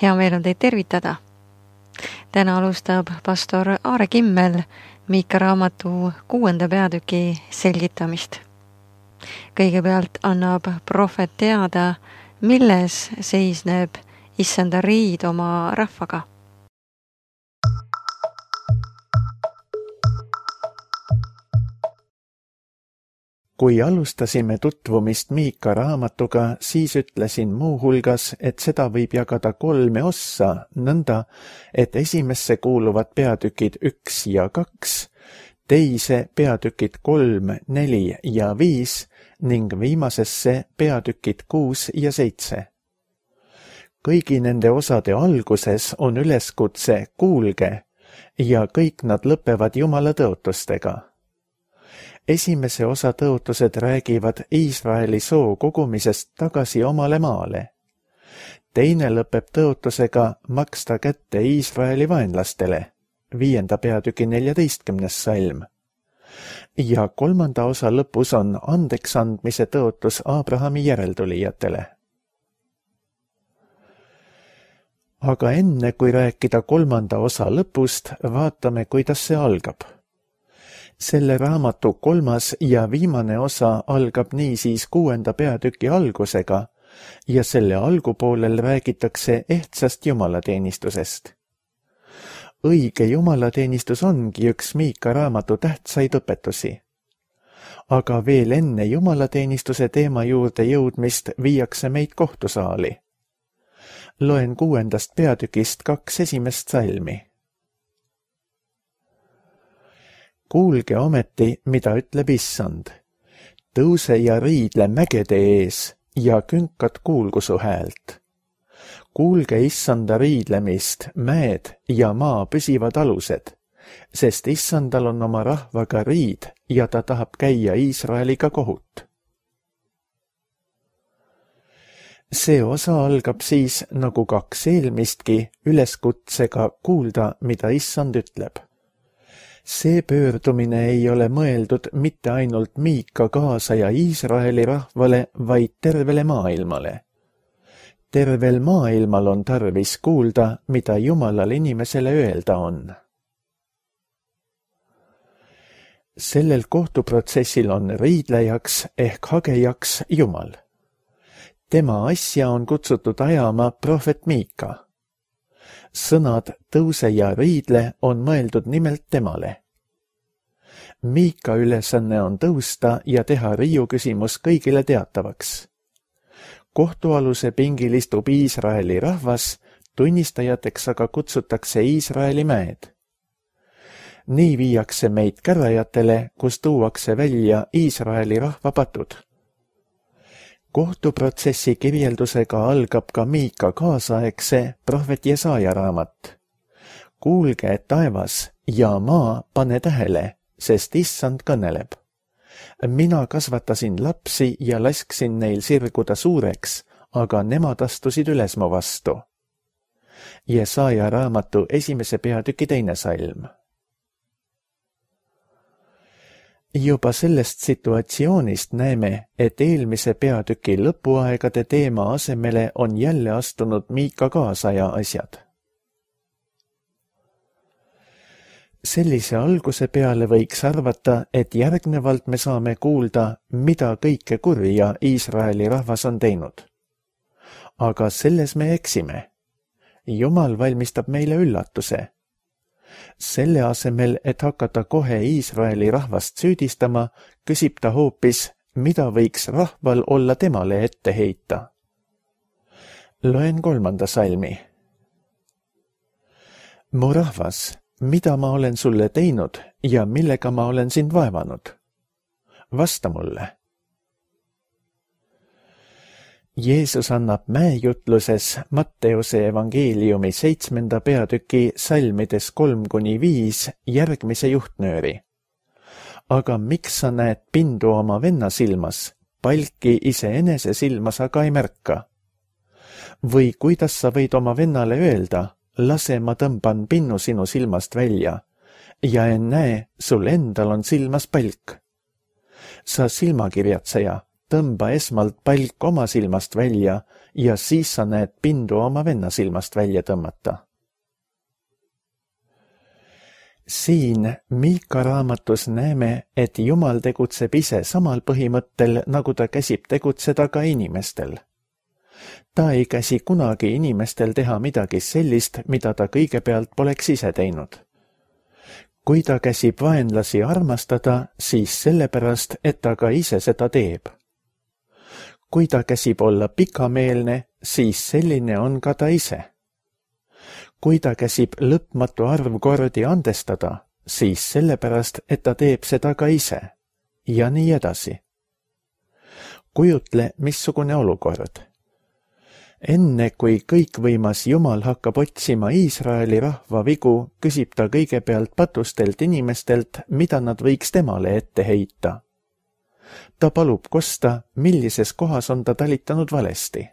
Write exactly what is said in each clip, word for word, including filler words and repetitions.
Hea meel on teid tervitada. Täna alustab pastor Aare Kimmel Miika raamatu kuuenda peatüki selgitamist. Kõigepealt annab prohvet teada, milles seisneb issanda riid oma rahvaga. Kui alustasime tutvumist Miika raamatuga, siis ütlesin muu hulgas, et seda võib jagada kolme ossa, nõnda, et esimesse kuuluvad peatükid üks ja kaks, teise peatükid kolm, neli ja viis ning viimasesse peatükid kuus ja seitse. Kõigi nende osade alguses on üleskutse kuulge ja kõik nad lõpevad Jumala tõotustega. Esimese osa tõotused räägivad Iisraeli soo kogumisest tagasi omale maale. Teine lõpeb tõotusega maksta kätte Iisraeli vaenlastele, viienda peatüki neljateistkümnes salm. Ja kolmanda osa lõpus on andeks andmise tõotus Abrahami järeltulijatele. Aga enne kui rääkida kolmanda osa lõpust, vaatame, kuidas see algab. Selle raamatu kolmas ja viimane osa algab niisiis kuuenda peatüki algusega ja selle algupoolel räägitakse ehtsast jumalateenistusest. Õige jumalateenistus ongi üks Miika raamatu tähtsaid õpetusi. Aga veel enne jumalateenistuse teema juurde jõudmist viiakse meid kohtusaali. Loen kuuendast peatükist kaks esimest salmi. Kuulge ometi, mida ütleb issand. Tõuse ja riidle mägede ees ja künkat kuulgu su häält. Kuulge issanda riidlemist, mäed ja maa püsivad alused, sest issandal on oma rahvaga riid ja ta tahab käia Iisraeliga kohut. See osa algab siis, nagu kaks eelmistki, üleskutsega kuulda, mida issand ütleb. See pöördumine ei ole mõeldud mitte ainult Miika kaasaja Iisraeli rahvale, vaid tervele maailmale. Tervel maailmal on tarvis kuulda, mida Jumalal inimesele öelda on. Sellel kohtuprotsessil on riidlejaks ehk hagejaks Jumal. Tema asja on kutsutud ajama prohvet Miika. Sõnad tõuse ja riidle on mõeldud nimelt temale. Miika ülesanne on tõusta ja teha riiu küsimus kõigile teatavaks. Kohtualuse pingil istub Iisraeli rahvas, tunnistajateks aga kutsutakse Iisraeli mäed. Nii viiakse meid kärajatele, kus tuuakse välja Iisraeli rahva patud. Kohtuprotsessi kirjeldusega algab ka Miika kaasaegse prohvet Jesaja raamat. Kuulge, et taevas ja maa pane tähele, sest issand kõneleb. Mina kasvatasin lapsi ja lasksin neil sirguda suureks, aga nemad astusid üles mu vastu. Jesaja raamatu esimese peatüki teine salm. Juba sellest situatsioonist näeme, et eelmise peatüki lõpuaegade teema asemele on jälle astunud Miika kaasaja asjad. Sellise alguse peale võiks arvata, et järgnevalt me saame kuulda, mida kõike kurja Iisraeli rahvas on teinud. Aga selles me eksime. Jumal valmistab meile üllatuse. Selle asemel, et hakata kohe Iisraeli rahvast süüdistama, küsib ta hoopis, mida võiks rahval olla temale ette heita. Loen kolmanda salmi. Mu rahvas, mida ma olen sulle teinud ja millega ma olen sind vaevanud? Vasta mulle. Jeesus annab mäejutluses Matteuse evangeeliumi seitsmenda peatüki salmides kolm kuni viis järgmise juhtnööri. Aga miks sa näed pindu oma venna silmas, palki iseenese silmas aga ei märka? Või kuidas sa võid oma vennale öelda, lase ma tõmban pinnu sinu silmast välja, ja ennäe, sul endal on silmas palk. Sa silmakirjatseja, tõmba esmalt palk oma silmast välja ja siis sa näed pindu oma venna silmast välja tõmmata. Siin Miika raamatus näeme, et Jumal tegutseb ise samal põhimõttel, nagu ta käsib tegutseda ka inimestel. Ta ei käsi kunagi inimestel teha midagi sellist, mida ta kõigepealt poleks ise teinud. Kui ta käsib vaenlasi armastada, siis sellepärast, et ta ka ise seda teeb. Kui ta käsib olla pikameelne, siis selline on ka ta ise. Kui ta käsib lõpmatu arv kordi andestada, siis sellepärast, et ta teeb seda ka ise. Ja nii edasi. Kujutle, missugune olukord. Enne kui kõikvõimas Jumal hakkab otsima Iisraeli rahva vigu, küsib ta kõigepealt patustelt inimestelt, mida nad võiks temale ette heita. Ta palub kosta, millises kohas on ta talitanud valesti.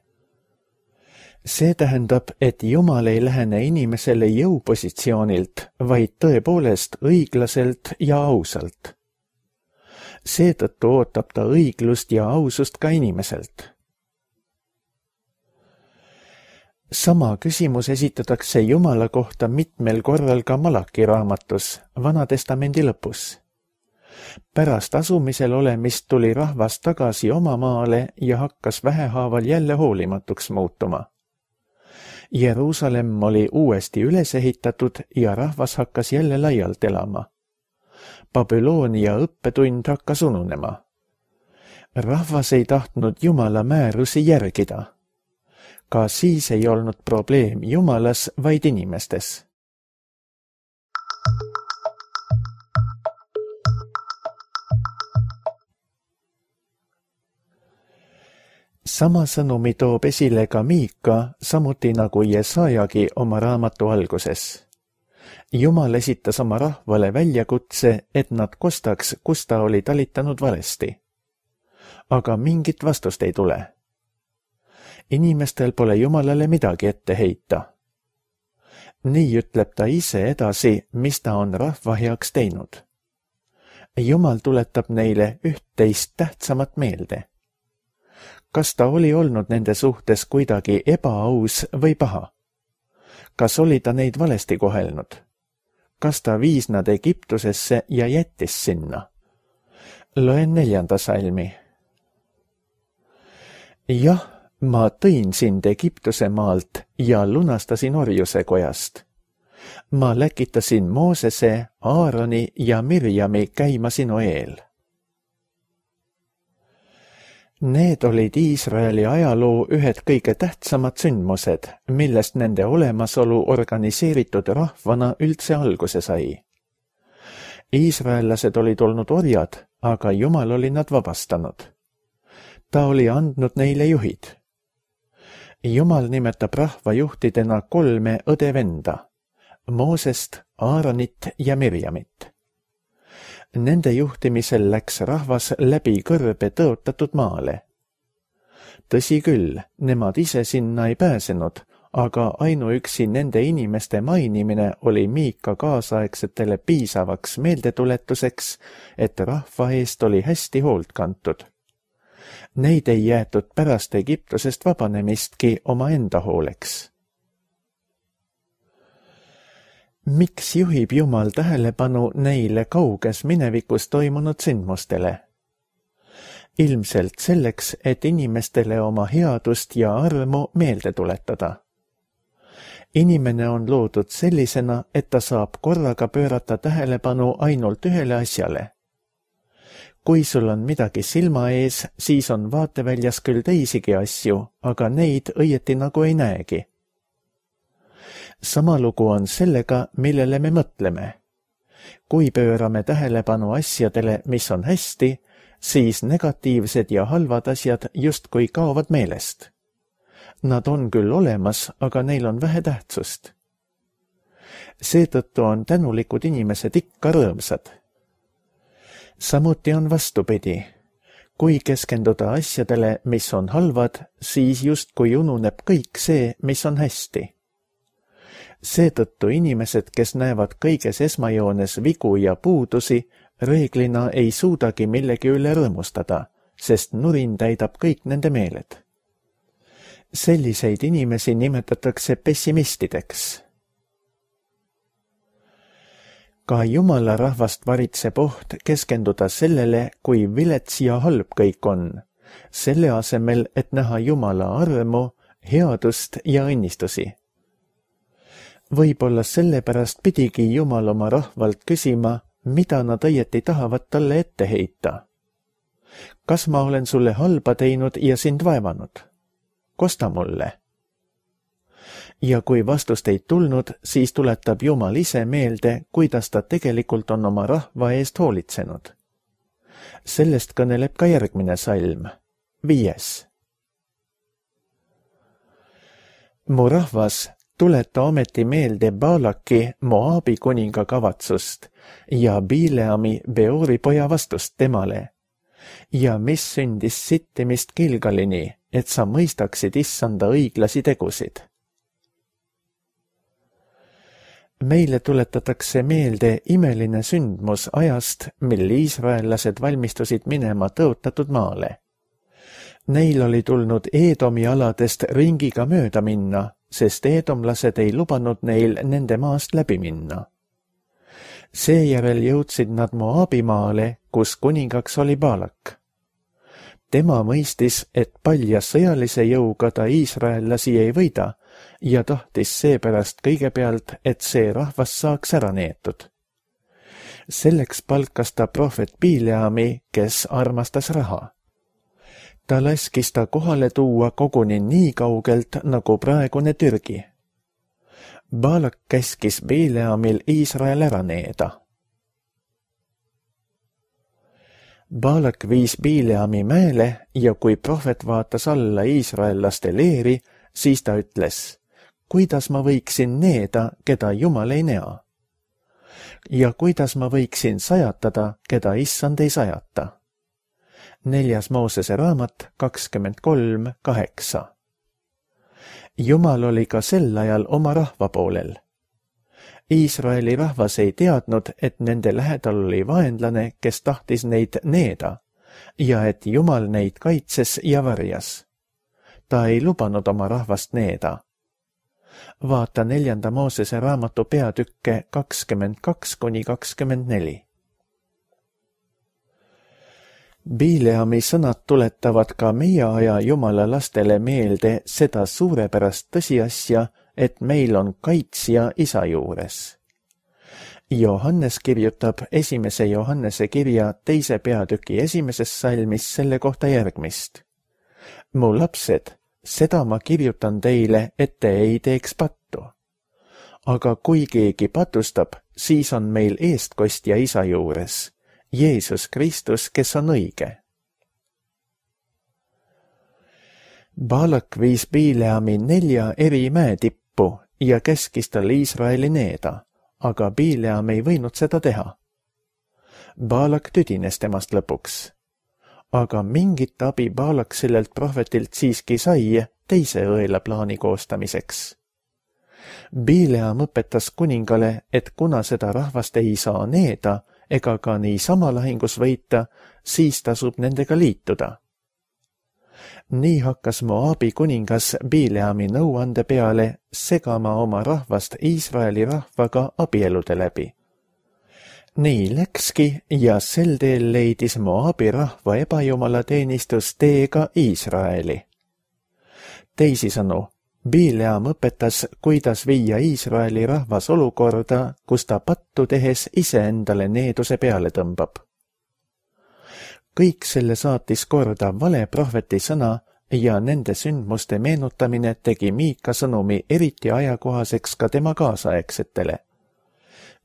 See tähendab, et Jumal ei lähene inimesele jõupositsioonilt, vaid tõepoolest õiglaselt ja ausalt. Seetõttu ootab ta õiglust ja ausust ka inimeselt. Sama küsimus esitatakse Jumala kohta mitmel korral ka Malaki raamatus, Vanatestamendi lõpus. Pärast asumisel olemist tuli rahvas tagasi oma maale ja hakkas vähehaaval jälle hoolimatuks muutuma. Jeruusalemm oli uuesti üles ehitatud ja rahvas hakkas jälle laialt elama. Babyloonia õppetund hakkas ununema. Rahvas ei tahtnud Jumala määrusi järgida. Ka siis ei olnud probleem Jumalas, vaid inimestes. Sama sõnumi toob esile ka Miika, samuti nagu Jesajagi oma raamatu alguses. Jumal esitas oma rahvale väljakutse, et nad kostaks, kus ta oli talitanud valesti. Aga mingit vastust ei tule. Inimestel pole Jumalale midagi ette heita. Nii ütleb ta ise edasi, mis ta on rahva heaks teinud. Jumal tuletab neile üht-teist tähtsamat meelde. Kas ta oli olnud nende suhtes kuidagi ebaaus või paha? Kas oli ta neid valesti kohelnud? Kas ta viis nad Egiptusesse ja jättis sinna? Loen neljanda salmi. Jah, ma tõin sind Egiptuse maalt ja lunastasin orjuse kojast. Ma läkitasin Moosese, Aaroni ja Mirjami käima sinu eel. Need olid Iisraeli ajaloo ühed kõige tähtsamad sündmused, millest nende olemasolu organiseeritud rahvana üldse alguse sai. Iisraellased olid olnud orjad, aga Jumal oli nad vabastanud. Ta oli andnud neile juhid. Jumal nimetab rahvajuhtidena kolme õde-venda, Moosest, Aaronit ja Mirjamit. Nende juhtimisel läks rahvas läbi kõrbe tõotatud maale. Tõsi küll, nemad ise sinna ei pääsenud, aga ainuüksi nende inimeste mainimine oli Miika kaasaegsetele piisavaks meeldetuletuseks, et rahva eest oli hästi hoolt kantud. Neid ei jäetud pärast Egiptusest vabanemistki oma enda hooleks. Miks juhib Jumal tähelepanu neile kauges minevikus toimunud sündmustele? Ilmselt selleks, et inimestele oma headust ja armu meelde tuletada. Inimene on loodud sellisena, et ta saab korraga pöörata tähelepanu ainult ühele asjale. Kui sul on midagi silma ees, siis on vaateväljas küll teisigi asju, aga neid õieti nagu ei näegi. Sama lugu on sellega, millele me mõtleme. Kui pöörame tähelepanu asjadele, mis on hästi, siis negatiivsed ja halvad asjad justkui kaovad meelest. Nad on küll olemas, aga neil on vähe tähtsust. Seetõttu on tänulikud inimesed ikka rõõmsad. Samuti on vastupidi. Kui keskenduda asjadele, mis on halvad, siis justkui ununeb kõik see, mis on hästi. Seetõttu inimesed, kes näevad kõiges esmajoones vigu ja puudusi, reeglina ei suudagi millegi üle rõõmustada, sest nurin täidab kõik nende meeled. Selliseid inimesi nimetatakse pessimistideks. Ka Jumala rahvast varitseb oht keskenduda sellele, kui vilets ja halb kõik on, selle asemel, et näha Jumala armu, headust ja õnnistusi. Võib-olla sellepärast pidigi Jumal oma rahvalt küsima, mida nad õieti tahavad talle ette heita. Kas ma olen sulle halba teinud ja sind vaevanud? Kosta mulle. Ja kui vastust ei tulnud, siis tuletab Jumal ise meelde, kuidas ta tegelikult on oma rahva eest hoolitsenud. Sellest kõneleb ka järgmine salm, viies. Mu rahvas, tuleta ometi meelde Baalaki, Moabi kuninga kavatsust ja Bileami Beori poja vastust temale. Ja mis sündis sittimist Gilgalini, et sa mõistaksid issanda õiglasi tegusid. Meile tuletatakse meelde imeline sündmus ajast, mil iisraellased valmistusid minema tõotatud maale. Neil oli tulnud Eedomi aladest ringiga mööda minna, sest eedomlased ei lubanud neil nende maast läbi minna. Seejärel jõudsid nad Moabi maale, kus kuningaks oli Baalak. Tema mõistis, et palja sõjalise jõuga ta iisraellasi ei võida ja tahtis seepärast kõigepealt, et see rahvas saaks ära neetud. Selleks palkas ta prohvet Bileami, kes armastas raha. Ta laskis ta kohale tuua koguni nii kaugelt, nagu praegune Türgi. Baalak käskis Bileamil Iisrael ära needa. Baalak viis Bileami mäele ja kui prohvet vaatas alla iisraellaste leeri, siis ta ütles, kuidas ma võiksin needa, keda Jumal ei näe? Ja kuidas ma võiksin sajatada, keda issand ei sajata? Neljas Moosese raamat kakskümmend kolm kaheksa. Jumal oli ka sel ajal oma rahva poolel. Iisraeli rahvas ei teadnud, et nende lähedal oli vaenlane, kes tahtis neid needa ja et Jumal neid kaitses ja varjas. Ta ei lubanud oma rahvast needa. Vaata neljanda Moosese raamatu peatükke kakskümmend kaks kuni kakskümmend neli. Bileami sõnad tuletavad ka meie aja Jumala lastele meelde seda suurepärast tõsiasja, et meil on kaitsja isa juures. Johannes kirjutab esimese Johannese kirja teise peatüki esimeses salmis selle kohta järgmist. Mu lapsed, seda ma kirjutan teile, et te ei teeks pattu. Aga kui keegi patustab, siis on meil eestkostja isa juures, Jeesus Kristus, kes on õige. Baalak viis Bileami nelja eri mäetippu ja käskis tal Iisraeli needa, aga Bileam ei võinud seda teha. Baalak tüdines temast lõpuks. Aga mingit abi Baalak sellelt prohvetilt siiski sai teise õela plaani koostamiseks. Bileam õpetas kuningale, et kuna seda rahvast ei saa needa ega ka niisama lahingus võita, siis tasub nendega liituda. Nii hakkas Moabi kuningas Bileami nõuande peale segama oma rahvast Iisraeli rahvaga abielude läbi. Nii läkski ja sel teel leidis Moabi rahva ebajumala teenistus teega Iisraeli. Teisisõnu, Bileam õpetas, kuidas viia Iisraeli rahvas olukorda, kus ta pattu tehes iseendale needuse peale tõmbab. Kõik selle saatis korda vale prohveti sõna ja nende sündmuste meenutamine tegi Miika sõnumi eriti ajakohaseks ka tema kaasaegsetele.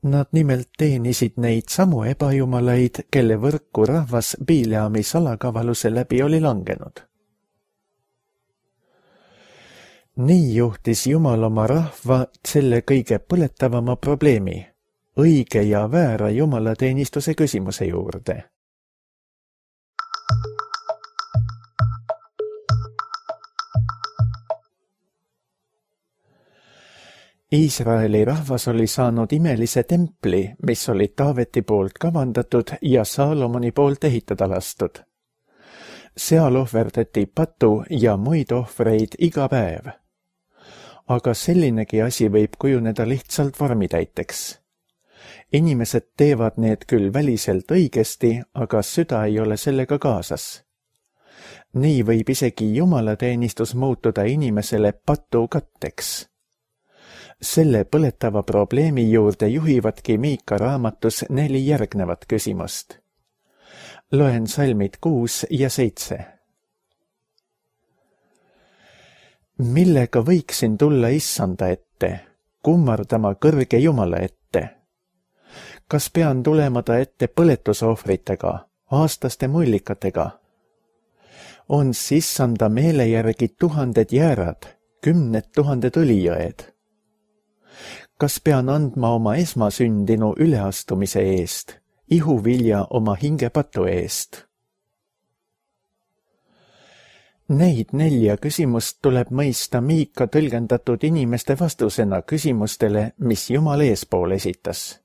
Nad nimelt teenisid neid samu ebajumalaid, kelle võrku rahvas Bileami salakavaluse läbi oli langenud. Nii juhtis Jumal oma rahva selle kõige põletavama probleemi, õige ja väära jumalateenistuse küsimuse juurde. Iisraeli rahvas oli saanud imelise templi, mis oli Taaveti poolt kavandatud ja Saalomoni poolt ehitada lastud. seal ohverdati patu ja muid ohvreid iga päev. Aga sellinegi asi võib kujuneda lihtsalt vormitäiteks. Inimesed teevad need küll väliselt õigesti, aga süda ei ole sellega kaasas. Nii võib isegi jumalateenistus muutuda inimesele patu katteks. Selle põletava probleemi juurde juhivadki Miika raamatus neli järgnevat küsimust. Loen salmid kuus ja seitse. Millega võiksin tulla issanda ette, kummardama kõrge Jumala ette? Kas pean tulema ta ette põletusohvritega, aastaste mullikatega? On sissanda meele järgi tuhanded jäärad, kümned tuhanded õlijõed. Kas pean andma oma esmasündinu üleastumise eest, ihuvilja oma hingepatu eest? Neid nelja küsimust tuleb mõista Miika tõlgendatud inimeste vastusena küsimustele, mis Jumal eespool esitas.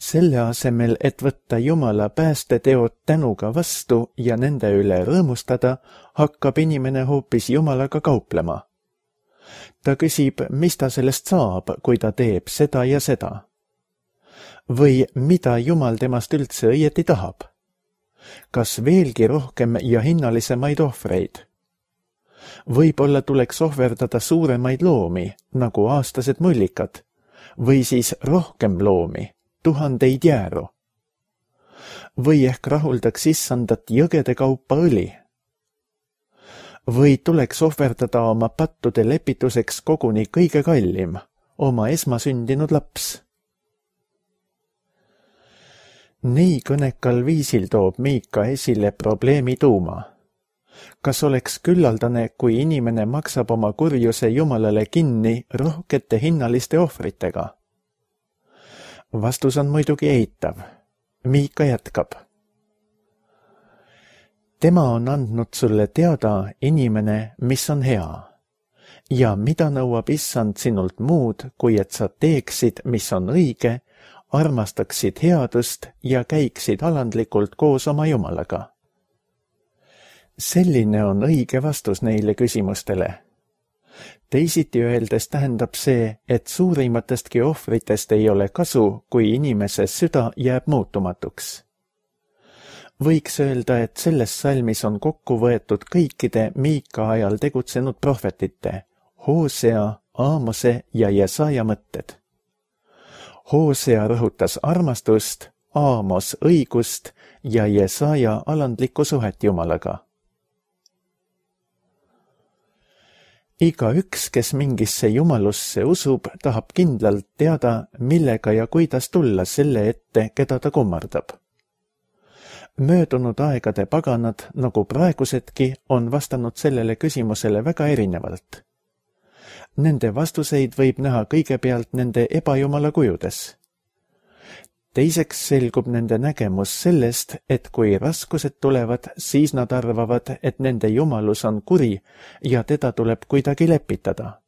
Selle asemel, et võtta Jumala päästeteod tänuga vastu ja nende üle rõõmustada, hakkab inimene hoopis Jumalaga kauplema. Ta küsib, mis ta sellest saab, kui ta teeb seda ja seda. Või mida Jumal temast üldse õieti tahab? Kas veelgi rohkem ja hinnalisemaid ohvreid? Võib-olla tuleks ohverdada suuremaid loomi, nagu aastased mullikad, või siis rohkem loomi, tuhandeid jääru. Või ehk rahuldaks issandat jõgede kaupa õli. Või tuleks ohverdada oma pattude lepituseks koguni kõige kallim, oma esmasündinud laps. Nii kõnekal viisil toob Miika esile probleemi tuuma. Kas oleks küllaldane, kui inimene maksab oma kurjuse Jumalale kinni rohkete hinnaliste ohvritega? Vastus on muidugi eitav. Miika jätkab. Tema on andnud sulle teada, inimene, mis on hea. Ja mida nõuab issand sinult muud, kui et sa teeksid, mis on õige, armastaksid headust ja käiksid alandlikult koos oma Jumalaga. Selline on õige vastus neile küsimustele. Teisiti öeldes tähendab see, et suurimatestki ohvritest ei ole kasu, kui inimese süda jääb muutumatuks. Võiks öelda, et selles salmis on kokku võetud kõikide Miika ajal tegutsenud prohvetite, Hoosea, Aamose ja Jesaja mõtted. Hoosea rõhutas armastust, Aamos õigust ja Jesaja alandlikku suhet Jumalaga. Iga üks, kes mingisse jumalusse usub, tahab kindlalt teada, millega ja kuidas tulla selle ette, keda ta kummardab. Möödunud aegade paganad, nagu praegusedki, on vastanud sellele küsimusele väga erinevalt. Nende vastuseid võib näha kõigepealt nende ebajumala kujudes. Teiseks selgub nende nägemus sellest, et kui raskused tulevad, siis nad arvavad, et nende jumalus on kuri ja teda tuleb kuidagi lepitada.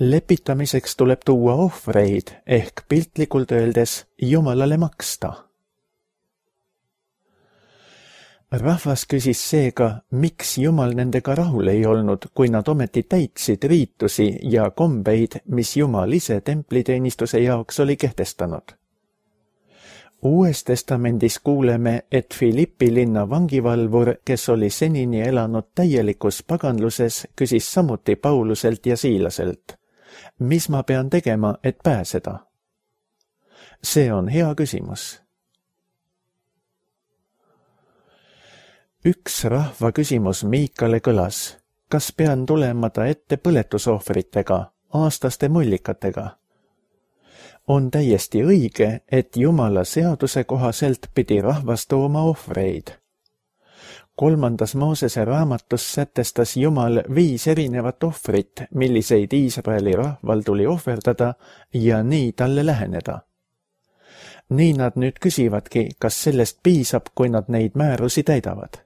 Lepitamiseks tuleb tuua ohvreid ehk piltlikult öeldes Jumalale maksta. Rahvas küsis seega, miks Jumal nendega rahul ei olnud, kui nad ometi täitsid riitusi ja kombeid, mis Jumal ise templiteenistuse jaoks oli kehtestanud. Uues testamendis kuuleme, et Filippi linna vangivalvur, kes oli senini elanud täielikus paganluses, küsis samuti Pauluselt ja Siilaselt. Mis ma pean tegema, et pääseda? See on hea küsimus. Üks rahva küsimus Miikale kõlas, kas pean tulema ta ette põletusohvritega, aastaste mullikatega? On täiesti õige, et Jumala seaduse kohaselt pidi rahvas tooma ohvreid. Kolmandas Moosese raamatus sätestas Jumal viis erinevat ohvrit, milliseid Iisraeli rahval tuli ohverdada ja nii talle läheneda. Nii nad nüüd küsivadki, kas sellest piisab, kui nad neid määrusi täidavad.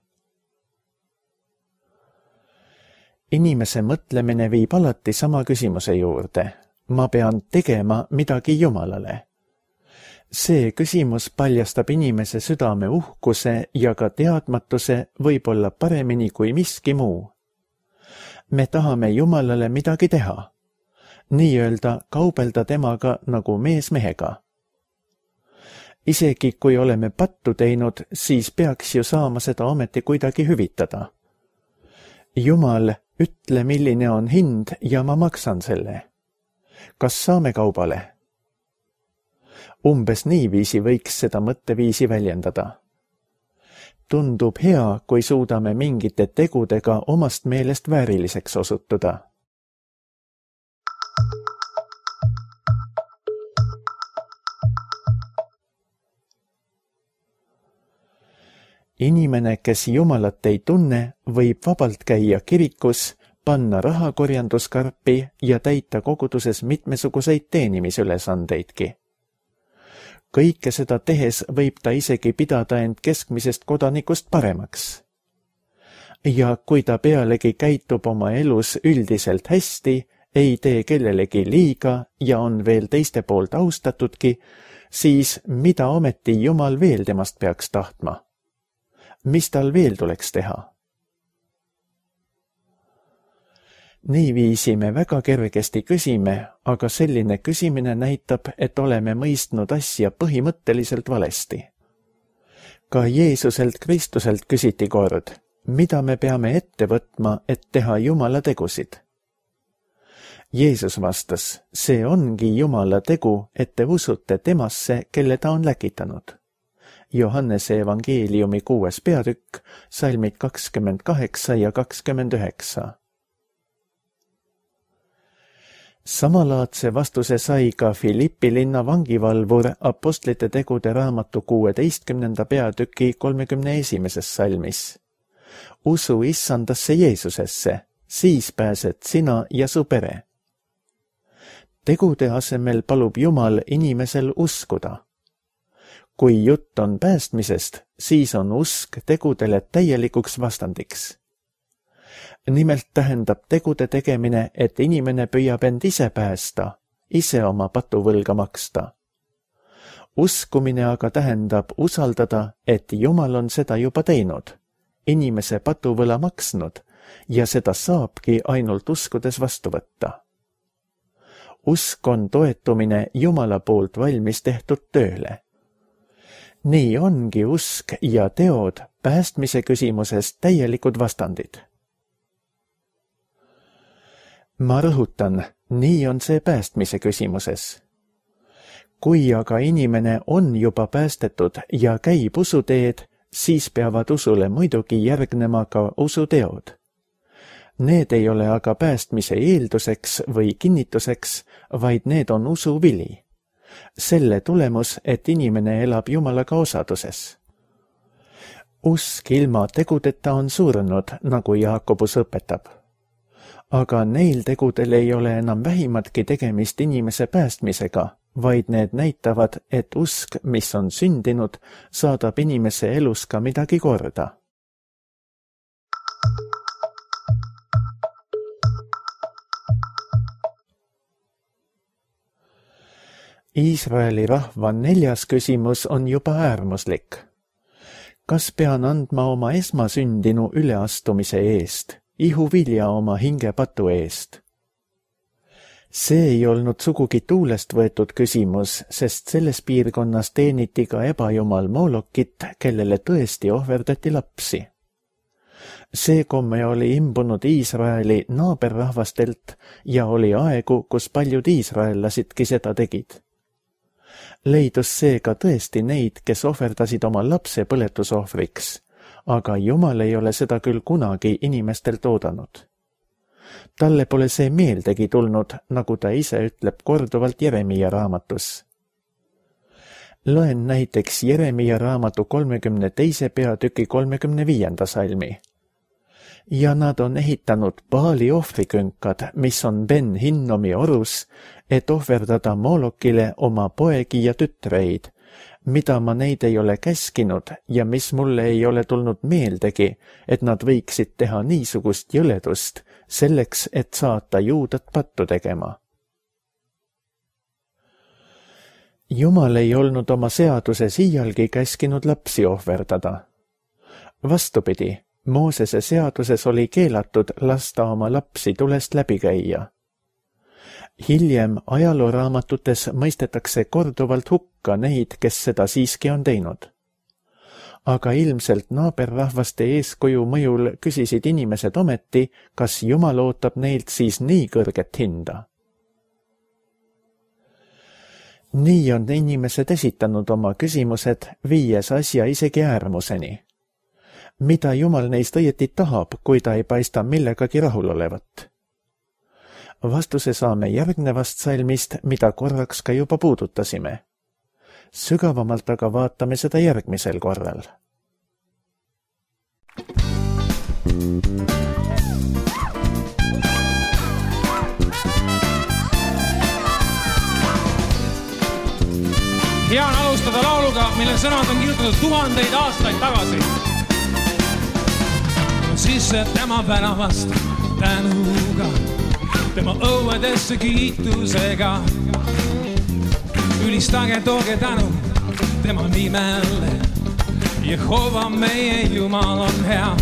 Inimese mõtlemine viib alati sama küsimuse juurde. Ma pean tegema midagi Jumalale. See küsimus paljastab inimese südame uhkuse ja ka teadmatuse võib-olla paremini kui miski muu. Me tahame Jumalale midagi teha, nii-öelda kaubelda temaga nagu mees mehega. Isegi kui oleme pattu teinud, siis peaks ju saama seda ometi kuidagi hüvitada. Jumal, ütle, milline on hind ja ma maksan selle. Kas saame kaubale? Umbes niiviisi võiks seda mõtteviisi väljendada. Tundub hea, kui suudame mingite tegudega omast meelest vääriliseks osutuda. Inimene, kes Jumalat ei tunne, võib vabalt käia kirikus, panna rahakorjanduskarpi ja täita koguduses mitmesuguseid teenimisülesandeidki. Kõike seda tehes võib ta isegi pidada end keskmisest kodanikust paremaks. Ja kui ta pealegi käitub oma elus üldiselt hästi, ei tee kellelegi liiga ja on veel teiste poolt austatudki, siis mida ometi Jumal veel temast peaks tahtma? Mis tal veel tuleks teha? Niiviisi me väga kergesti küsime, aga selline küsimine näitab, et oleme mõistnud asja põhimõtteliselt valesti. Ka Jeesuselt Kristuselt küsiti kord, mida me peame ette võtma, et teha Jumala tegusid. Jeesus vastas, see ongi Jumala tegu, et te usute temasse, kelle ta on läkitanud. Johannese evangeeliumi kuues peatükk, salmid kakskümmend kaheksa ja kakskümmend üheksa. Samalaadse vastuse sai ka Filippi linna vangivalvur Apostlite tegude raamatu kuueteistkümnenda peatüki kolmekümne esimeses salmis. Usu issandasse Jeesusesse, siis pääsed sina ja su pere. Tegude asemel palub Jumal inimesel uskuda. Kui jutt on päästmisest, siis on usk tegudele täielikuks vastandiks. Nimelt tähendab tegude tegemine, et inimene püüab end ise päästa, ise oma patuvõlga maksta. Uskumine aga tähendab usaldada, et Jumal on seda juba teinud, inimese patuvõla maksnud ja seda saabki ainult uskudes vastu võtta. Usk on toetumine Jumala poolt valmis tehtud tööle. Nii ongi usk ja teod päästmise küsimuses täielikud vastandid. Ma rõhutan, nii on see päästmise küsimuses. Kui aga inimene on juba päästetud ja käib usuteed, siis peavad usule muidugi järgnema ka usuteod. Need ei ole aga päästmise eelduseks või kinnituseks, vaid need on usu vili. Selle tulemus, et inimene elab Jumalaga osaduses. Usk ilma tegudeta on surnud, nagu Jaakobus õpetab. Aga neil tegudel ei ole enam vähimatki tegemist inimese päästmisega, vaid need näitavad, et usk, mis on sündinud, saadab inimese elus ka midagi korda. Iisraeli rahva neljas küsimus on juba äärmuslik. Kas pean andma oma esmasündinu üleastumise eest, ihuvilja oma hingepatu eest? See ei olnud sugugi tuulest võetud küsimus, sest selles piirkonnas teeniti ka ebajumal Molokit, kellele tõesti ohverdati lapsi. See komme oli imbunud Iisraeli naaberrahvastelt ja oli aegu, kus paljud iisraellasidki seda tegid. Leidus seega tõesti neid, kes ohverdasid oma lapse põletusohvriks, aga Jumal ei ole seda küll kunagi inimestelt oodanud. Talle pole see meeldegi tulnud, nagu ta ise ütleb korduvalt Jeremia raamatus. Loen näiteks Jeremia raamatu kolmekümne teise peatüki kolmekümne viienda salmi. Ja nad on ehitanud Baali ohvrikünkad, mis on Ben Hinnomi orus, et ohverdada Molokile oma poegi ja tütreid, mida ma neid ei ole käskinud ja mis mulle ei ole tulnud meeldegi, et nad võiksid teha niisugust jõledust, selleks, et saata juudat pattu tegema. Jumal ei olnud oma seaduses iialgi käskinud lapsi ohverdada. Vastupidi, Moosese seaduses oli keelatud lasta oma lapsi tulest läbi käia. Hiljem ajalooraamatutes mõistetakse korduvalt hukka neid, kes seda siiski on teinud. Aga ilmselt naaberrahvaste eeskuju mõjul küsisid inimesed ometi, kas Jumal ootab neilt siis nii kõrget hinda. Nii on inimesed esitanud oma küsimused, viies asja isegi äärmuseni. Mida Jumal neist õieti tahab, kui ta ei paista millegagi rahul olevat? Vastuse saame järgnevast salmist, mida korraks ka juba puudutasime. Sügavamalt aga vaatame seda järgmisel korral. Hea on alustada lauluga, mille sõnad on kirjutatud tuhandeid aastaid tagasi. Sisse tema väravast tänuga, tema õuedesse kiitusega. Ülistage, tooge tänu tema nimele. Jehova meie Jumal on hea.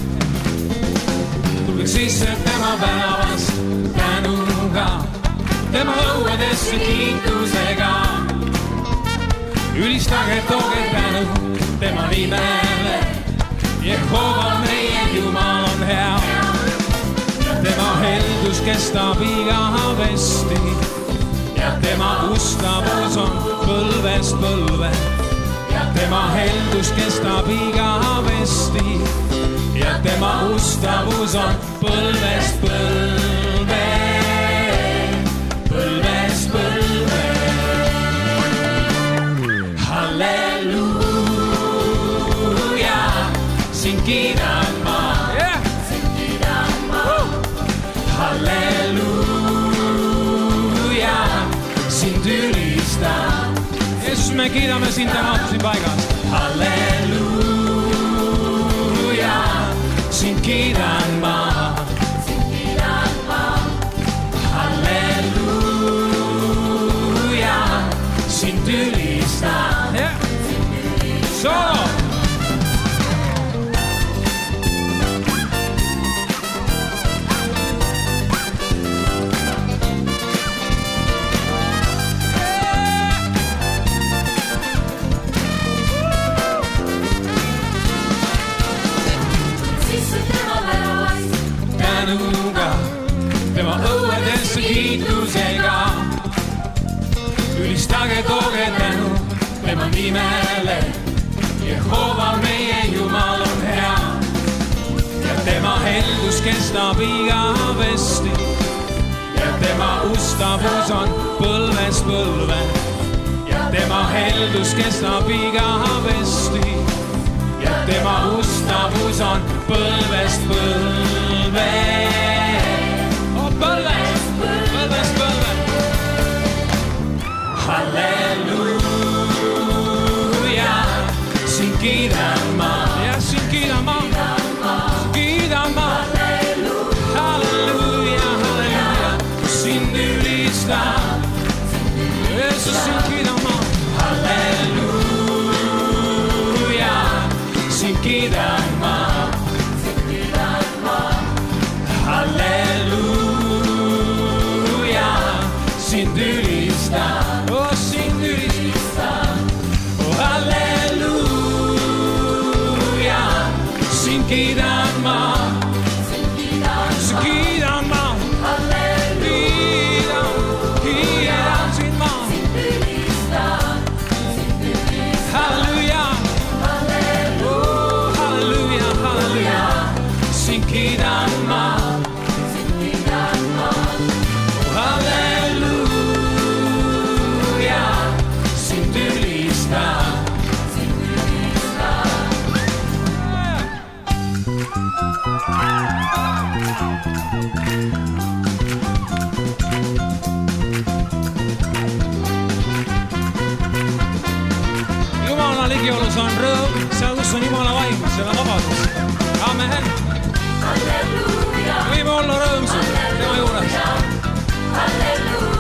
Tulge sisse tema väravast tänuga, tema õuedesse kiitusega. Ülistage, tooge tänu tema nimele. Jehova meie Jumal on hea. Tema heldus kestab igavesti ja tema ustavus on põlvest põlve. Ja tema heldus kestab igavesti ja tema ustavus on põlvest põlve. Põlvest põlve. Halleluuja, sind kiidan ma. Yeah. Sind kiidan ma. Halleluuja, sind ülistan. Jeesus, me kiidame sind täna siin paigas. Halleluuja, sind kiidan ma. Sind kiidan ma. Halleluuja, sind ülistan. Yeah. Solo. Tema õuedesse kiitusega. Ülistage, tooge tänu tema nimele. Jehova meie Jumal on hea ja tema heldus kestab igavesti ja tema ustavus on põlvest põlve ja tema heldus kestab igavesti ja tema ustavus on põlvest põlve. Põlvest, põlvest, põlve. Halleluuja, sind kiidan ma. Ja, sind kiidan ma. Kiidan ma. Halleluuja, halleluuja, sind ülistan. Jeesus, sind kiidan ma. Halleluuja, sind kiidan ma. Halleluuja, sind ülistan. Oh, sind ülistan. Oh, halleluuja, sind kiidan ma. Sind kiidan ma. Halleluuja, kiidan sind ma. Sind ülistan. Halleluuja. Oh, halleluuja, halleluuja, sind kiidan ma. Jumala ligiolus on rõõm, seal kus on Jumala vaim, seal on vabadus. Amen. Võime olla rõõmsud tema juures. Halleluuja.